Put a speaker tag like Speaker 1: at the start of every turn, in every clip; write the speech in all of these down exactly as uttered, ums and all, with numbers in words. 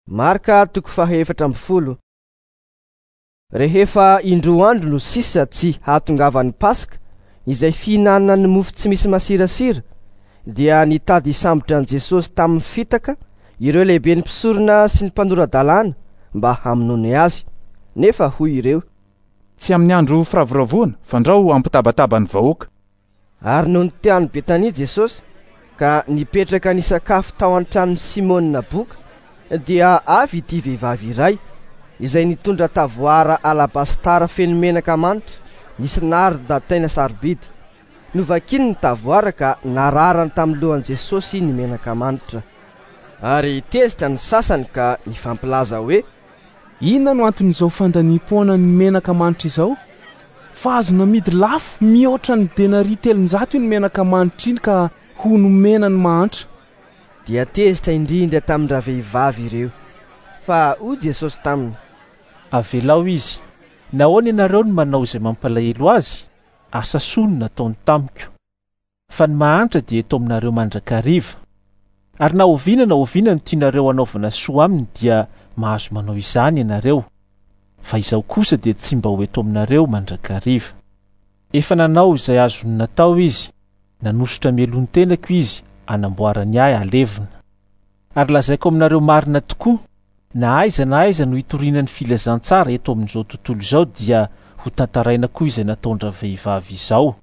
Speaker 1: Marka toko fahaefatra amby folo. Rehefa indroa andro no sisa tsy hahatongavan'ny Paska, izay fihinanana ny mofo tsy misy masirasira, dia nitady hisambotra an'i Jesosy tamin'ny fitaka ireo lehiben'ny mpisorona sy ny mpanora-dalàna mba hamonoany azy. Nefa hoy ireo:
Speaker 2: "Tsy amin'ny andro firavoravoana, fandrao hampitabataba ny vahoaka."
Speaker 1: Ary nony tany Betania Jesosy ka nipetraka nisakafo tao an-tranon'i Simona boka, dia avy ity vehivavy iray izay nitondra tavoara alabastara feno menaka manitra nisy narda tena sarobidy. Novakiny ny tavoara ka nararany tamin'ny lohan'i Jesosy ny menaka manitra. Ary tezitra ny sasany ka nifampilaza hoe:
Speaker 3: "Inona no anton'izao fandaniam-poana ny menaka manitra izao? Fa azo namidy lafo mihoatra ny denaria telonjato iny menaka manitra iny ka ho nomena ny mahantra."
Speaker 1: Dia tezitra indrindra tamin-dravehivavy ireo. Fa hoy Jesosy taminy:
Speaker 4: "Avelao izy. Nahoana ianareo no manao izay mampalahelo azy? Asa soa no nataony tamiko. Fa ny mahantra dia eto aminareo mandrakariva. Ary na oviana na oviana no tianareo hanaovana soa aminy dia mahazo manao izany ianareo. Fa izaho kosa dia tsy mba ho eto aminareo mandrakariva. Efa nanao izay azony natao izy, nanosotra melon-tenako izy anamboarany ahy alevina. Ary lazaiko aminareo marina tokoa, na aiza na aiza no hitoriana ny filazantsara eto amin'izao tontolo izao dia ho tantaraina koa izay nataon-dravehivavy izao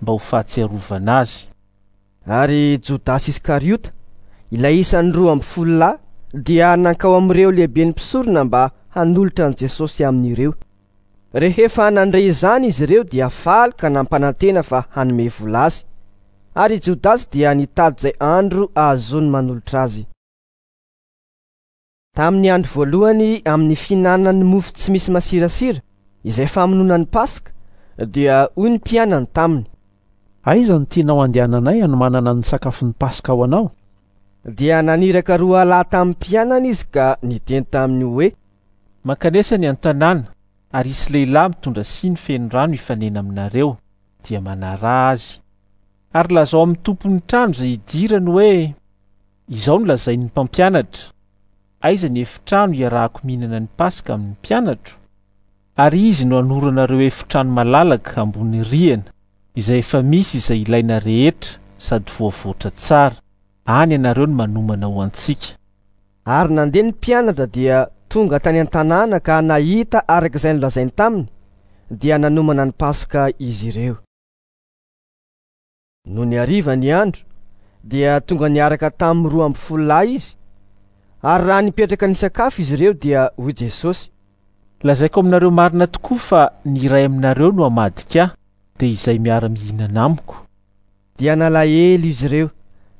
Speaker 4: mba ho fahatsiarovana azy."
Speaker 1: Ary Jodasy Iskariota, ilay isan'ny roa amby folo lahy, dia nankao amin'ireo lehiben'ny mpisorona mba hanolotra an'i Jesosy amin'ireo. Rehefa nandre izany izy ireo dia faly ka nampanantena fa hanome vola azy. Ary Jodasy dia nitady izay andro ahazoany manolotra azy. Tamin'ny andro voalohany amin'ny fihinanana ny mofo tsy misy masirasira, izay famonoana ny Paska, dia hoy ny mpianany taminy:
Speaker 5: "Aiza no tianao andehananay hanomanana ny sakafon'ny Paska ho anao?"
Speaker 1: Dia naniraka roa lahy tamin'ny mpianany izy ka niteny taminy hoe:
Speaker 4: "Mankanesa ny an-tanàna, ary hisy lehilahy mitondra siny feno rano hifanena aminareo, dia manaraha azy. Ary lazao amin'ny tompon'ny trano izay hidirany hoe: izao no lazain'ny mpampianatra, aiza ny efitrano iarahako mihinana ny Paska amin'ny mpianatro? Ary izy no hanoro anareo efitrano malalaka ambony rihana, izay efa misy izay ilaina rehetra sady voavoatra tsara. Any ianareo no manomana ho antsika."
Speaker 1: Ary nandeha ny mpianatra dia tonga tany an-tanàna ka nahita araka izay nolazainy taminy, dia nanomana ny Paska izy ireo. Nony hariva ny andro, dia tonga niaraka tamin'ny roa amby folo lahy izy. Ary raha nipetraka nisakafo izy ireo dia hoy Jesosy:
Speaker 4: "Lazaiko aminareo marina tokoa fa ny iray aminareo no hamadika ahy, dia izay miara-mihinana amiko."
Speaker 1: Dia nalahelo izy ireo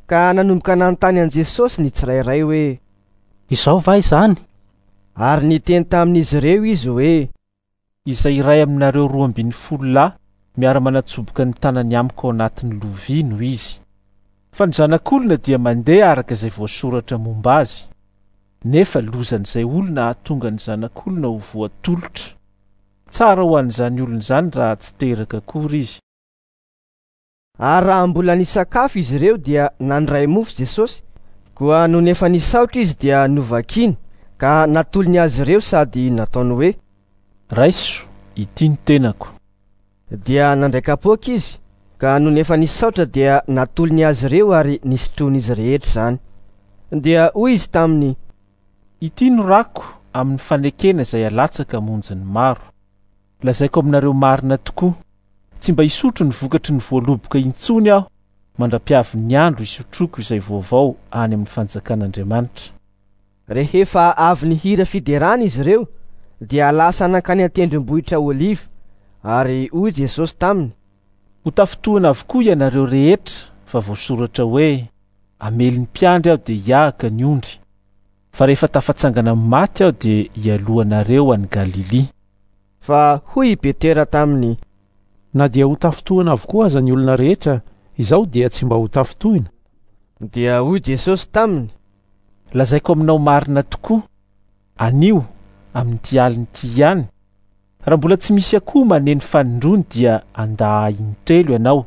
Speaker 1: ka nanomboka nanontany an'i Jesosy ny tsirairay hoe:
Speaker 5: "Izao va izany?"
Speaker 1: Ary niteny tamin'izy ireo izy hoe:
Speaker 4: "Izay iray aminareo roa ambin'ny folo lahy miara-manatsoboka ny tanany amiko ao anatin'ny lovia no izy. Fa ny zanak'olona dia mandeha araka izay voasoratra momba azy. Nefa lozan'izay olona hahatonga ny zanak'olona ho voatolotra. Tsara ho an'izany olona izany raha tsy teraka akory izy."
Speaker 1: Ary raha mbola nisakafo izy ireo dia nandray mofo Jesosy, koa nony efa nisaotra izy dia novakiny ka natolony azy ireo sady nataony hoe:
Speaker 4: "Raiso, ity ny tenako."
Speaker 1: Dia nandray kapoaka izy, ka nony efa nisaotra dia natolony azy ireo ary nisotroin'izy rehetra izany. Dia hoy izy taminy:
Speaker 4: "Ity no rako amin'ny fanekena izay alatsaka hamonjy ny maro. Lazaiko aminareo marina tokoa, tsy mba hisotro ny vokatry ny voaloboka intsony aho mandra-piavin'ny andro hisotroako izay vaovao any amin'ny fanjakan'Andriamanitra."
Speaker 1: Rehefa avy nihira fiderana izy ireo, dia lasa nankany an-tendrombohitra Oliva. Ary hoy Jesosy taminy:
Speaker 4: "Ho tafintohina avokoa ianareo rehetra, fa voasoratra hoe: hamely ny mpiandry aho dia hiahaka ny ondry. Fa rehefa tafatsangana amin'ny maty aho dia hialoha anareo any Galilia."
Speaker 1: Fa hoy i Petera taminy:
Speaker 5: "Na dia ho tafintohina avokoa aza ny olona rehetra, izaho dia tsy mba ho tafintohina."
Speaker 1: Dia hoy Jesosy taminy:
Speaker 4: "Lazaiko aminao marina tokoa, anio amin'ity alina ity ihany, raha mbola tsy misy akoho maneno fanindroany dia handà ahy intelo ianao."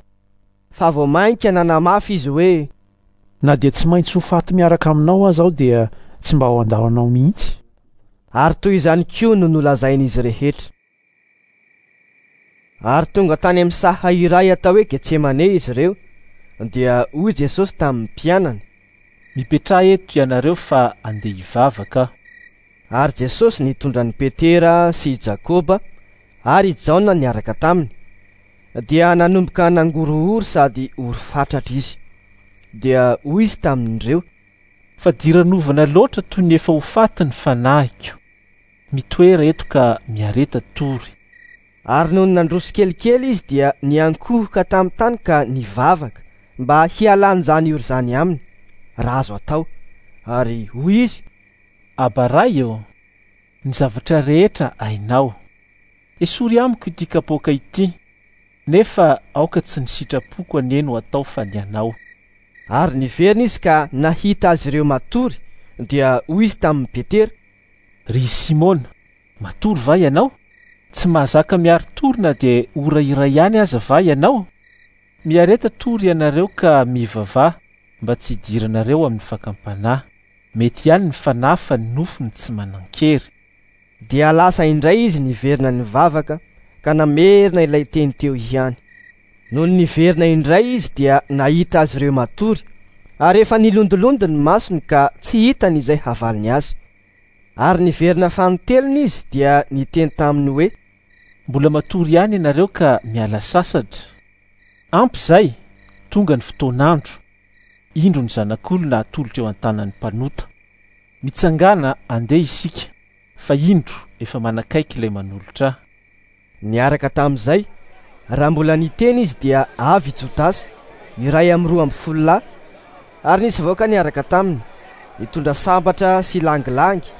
Speaker 1: Fa vao mainka nanamafy izy hoe:
Speaker 5: "Na dia tsy maintsy ho faty miaraka aminao aza aho dia tsy mba ho handao anao mihitsy.
Speaker 1: Ary toy izany koa no nolazain'izy rehetra. Ary tonga tany amin'ny saha iray atao hoe Getsemane izy ireo, dia hoy Jesosy tamin'ny mpianany:
Speaker 4: Mipetraha eto ianareo fa andeha hivavaka aho.
Speaker 1: Ary Jesosy nitondra an'i Petera sy i Jakoba ary i Jaona niaraka taminy. Dia nanomboka nangorohoro sady ory fatratra izy. Dia hoy izy tamin'ireo:
Speaker 4: Fadiranovana loatra toy ny efa ho faty ny fanahiko. Mitoera eto ka miareta tory.
Speaker 1: Ary nony nandroso kelikely izy dia niankohoka tamin'ny tany ka nivavaka mba hialan'izany ory izany aminy, raha azo atao. Ary hoy izy:
Speaker 4: Aba Ray ô, ny zavatra rehetra hainao. Esory amiko ity kapoaka ity, nefa aoka tsy ny sitrapoko anie no atao fa ny anao.
Speaker 1: Ary niverina izy ka nahita azy ireo matory, dia hoy izy tamin'i Petera:
Speaker 4: Ry Simona, matory va ianao? Tsy mahazaka miari-tory na dia ora iray ihany aza va ianao? Miareta tory ianareo ka mivavaha mba tsy hidiranareo amin'ny fakam-panahy. Mety ihany ny fanahy fa ny nofony tsy manan-kery.
Speaker 1: Dia lasa indray izy niverina nivavaka ka namerina ilay teny teo ihany. Nony niverina indray izy dia nahita azy ireo matory, ary efa nilondolondo ny masony ka tsy hitany izay havaliny azy. Ary niverina fanintelony izy dia niteny taminy hoe:
Speaker 4: Mbola matory ihany ianareo ka miala sasatra. Ampy izay, tonga ny fotoan'andro. Indro ny zanak'olona atolotra eo an-tanan'ny mpanota. Mitsangàna andeha isika, fa indro efa manakaiky ilay manolotra ahy.
Speaker 1: Niaraka tamin'izay, raha mbola niteny izy dia avy i Jodasy, iray amin'ny roa ambin'ny folo lahy, ary nisy vahoaka niaraka taminy, nitondra sabatra sy langilangy,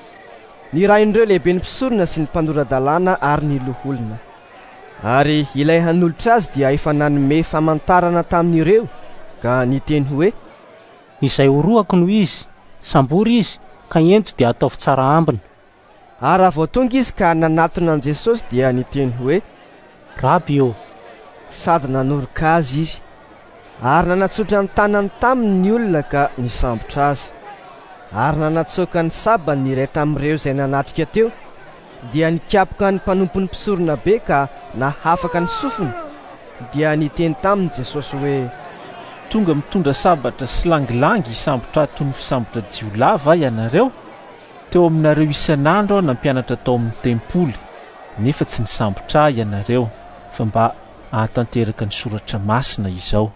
Speaker 1: nirahin'ireo lehiben'ny mpisorona sy ny mpanora-dalàna ary ny loholona. Ary ilay hanolotra azy dia efa nanome famantarana tamin'ireo ka niteny hoe:
Speaker 6: Izay orohako no izy, sambory izy, ka ento dia ataovy tsara ambina.
Speaker 1: Ary raha vao tonga izy ka nanatona an'i Jesosy dia niteny hoe:
Speaker 6: Raby ô!
Speaker 1: Sady nanoroka azy izy. Ary nanatsotra ny tanany taminy ny olona ka nisambotra azy. Ary nanatsoaka ny sabany ny iray tamin'ireo izay nanatrika teo, dia nikapoka ny mpanompon'ny mpisorona be ka nahafaka ny sofiny. Dia niteny taminy Jesosy hoe:
Speaker 4: Tonga mitondra sabatra sy langilangy hisambotra ahy toy ny fisambotra jiolahy va ianareo? Teo aminareo isan'andro aho nampianatra tao amin'ny tempoly, nefa tsy nisambotra ahy ianareo, fa mba hahatanteraka ny soratra masina izao.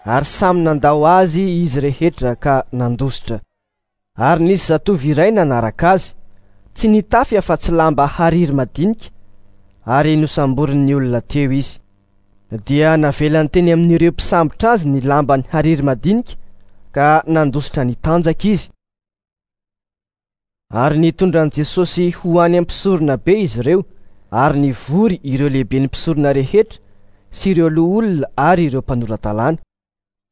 Speaker 1: Ary samy nandao azy izy rehetra ka nandositra. Ary nisy zatovo iray nanaraka azy, tsy nitafy afa-tsy lamba hariry madinika, ary nosamborin'ny olona teo izy. Dia navelany teny amin'ireo mpisambotra azy ny lambany hariry madinika ka nandositra nitanjaka izy. Ary nitondra an'i Jesosy ho any amin'ny mpisorona be izy ireo, ary nivory ireo lehiben'ny mpisorona rehetra sy ireo loholona ary ireo mpanora-dalàna.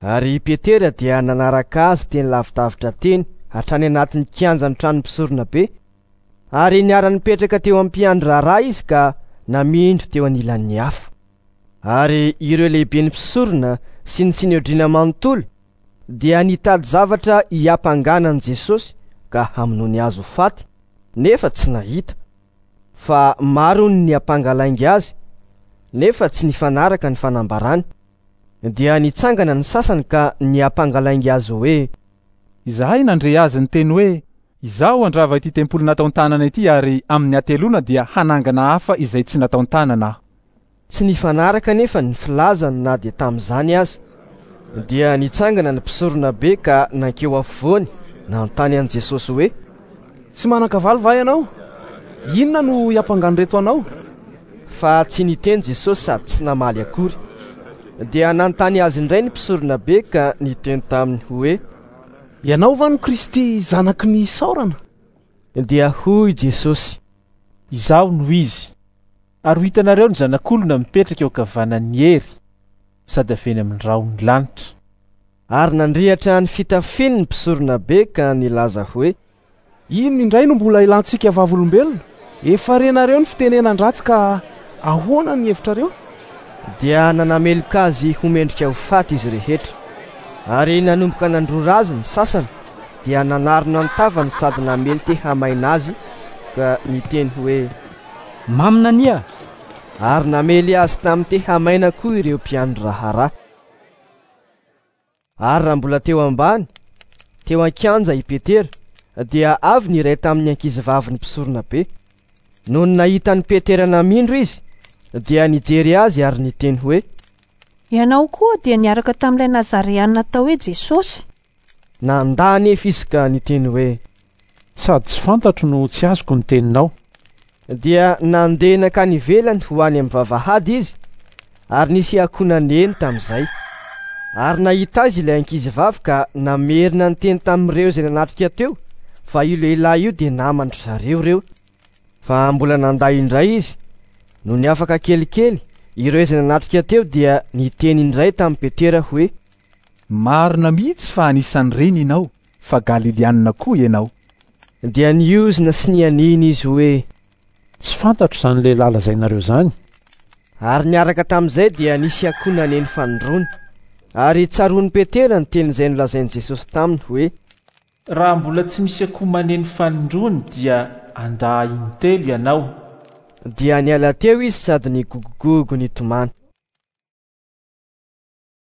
Speaker 1: Ary i Petera dia nanaraka azy teny lavidavitra teny hatrany anatin'ny kianjan'ny tranon'ny mpisorona be, ary niara-nipetraka teo am-piandry raharaha izy ka namindro teo anilan'ny afo. Ary ireo lehiben'ny mpisorona sy ny sinedriona manontolo dia nitady zavatra hiampangana an'i Jesosy ka hamonoany azy ho faty, nefa tsy nahita. Fa maro ny niampanga lainga azy, nefa tsy nifanaraka ny fanambarany. Dia nitsangana ny sasany ka niampanga lainga azy hoe:
Speaker 2: Izahay nandre azy niteny hoe: Izaho handrava ity tempoly nataon-tanana ity, ary amin'ny hateloana dia hanangana hafa izay tsy nataon-tanana aho.
Speaker 1: Tsy nifanaraka nefa ny filazany na dia tamin'izany aza. Dia nitsangana ny mpisorona be ka nankeo afovoany nanontany an'i Jesosy hoe:
Speaker 3: Tsy manan-kavaly va ianao? Inona no hiampangan'ireto anao?
Speaker 1: Fa tsy niteny Jesosy sady tsy namaly akory. Dia nanontany azy indray ny mpisorona be ka niteny taminy hoe:
Speaker 3: Ianao va no Kristy zanaky ny isaorana?
Speaker 1: Dia hoy Jesosy:
Speaker 4: Izaho no izy. Ary ho hitanareo ny zanak'olona mipetraka eo ankavanan'ny hery sady avy eny amin'ny rahon'ny lanitra.
Speaker 1: Ary nandrihatra ny fitafiany ny mpisorona be ka nilaza hoe:
Speaker 3: Inona indray no mbola ilantsika vavolombelona? Efa renareo ny fitenenan-dratsy ka ahoana ny hevitrareo?
Speaker 1: Dia nanameloka azy ho mendrika ho faty izy rehetra. Ary nanomboka nandrora azy ny sasany, dia nanarona ny tavany sady namely tehamaina azy ka niteny hoe:
Speaker 6: Maminania!
Speaker 1: Ary namely azy tamin'ny tehamaina koa ireo mpiandry raharaha. Ary raha mbola teo ambany, teo an-kianja i Petera, dia avy ny iray tamin'ny ankizivavin'ny mpisorona be. Nony nahita an'i Petera namindro izy, dia nijery azy ary niteny hoe:
Speaker 7: Ianao koa dia niaraka tamin'ilay Nazareana atao hoe Jesosy.
Speaker 1: Nandà anefa izy ka niteny hoe:
Speaker 5: Sady tsy fantatro no tsy azoko ny teninao.
Speaker 1: Dia nandeha nankany ivelany ho any amin'ny vavahady izy, ary nisy akoho naneno tamin'izay. Ary nahita azy ilay ankizivavy ka namerina ny teny tamin'ireo izay nanatrika teo fa io lehilahy io dia naman-dry zareo ireo. Fa mbola nandà indray izy. Nony afaka kelikely, ireo izay nanatrika teo dia niteny indray tamin'i Petera hoe:
Speaker 2: Marina mihitsy fa anisan'ireny ianao, fa Galilianina koa ianao.
Speaker 1: Dia niozona sy nianiana izy hoe:
Speaker 5: Tsy fantatro izany lehilahy lazainareo izany.
Speaker 1: Ary niaraka tamin'izay dia nisy akoho naneno fanindroany. Ary tsaroan'i Petera ny teny izay nolazain'i Jesosy taminy hoe:
Speaker 4: Raha mbola tsy misy akoho maneno fanindroany dia handà intelo ianao.
Speaker 1: Dia niala teo izy sady nigogogogo nitomany.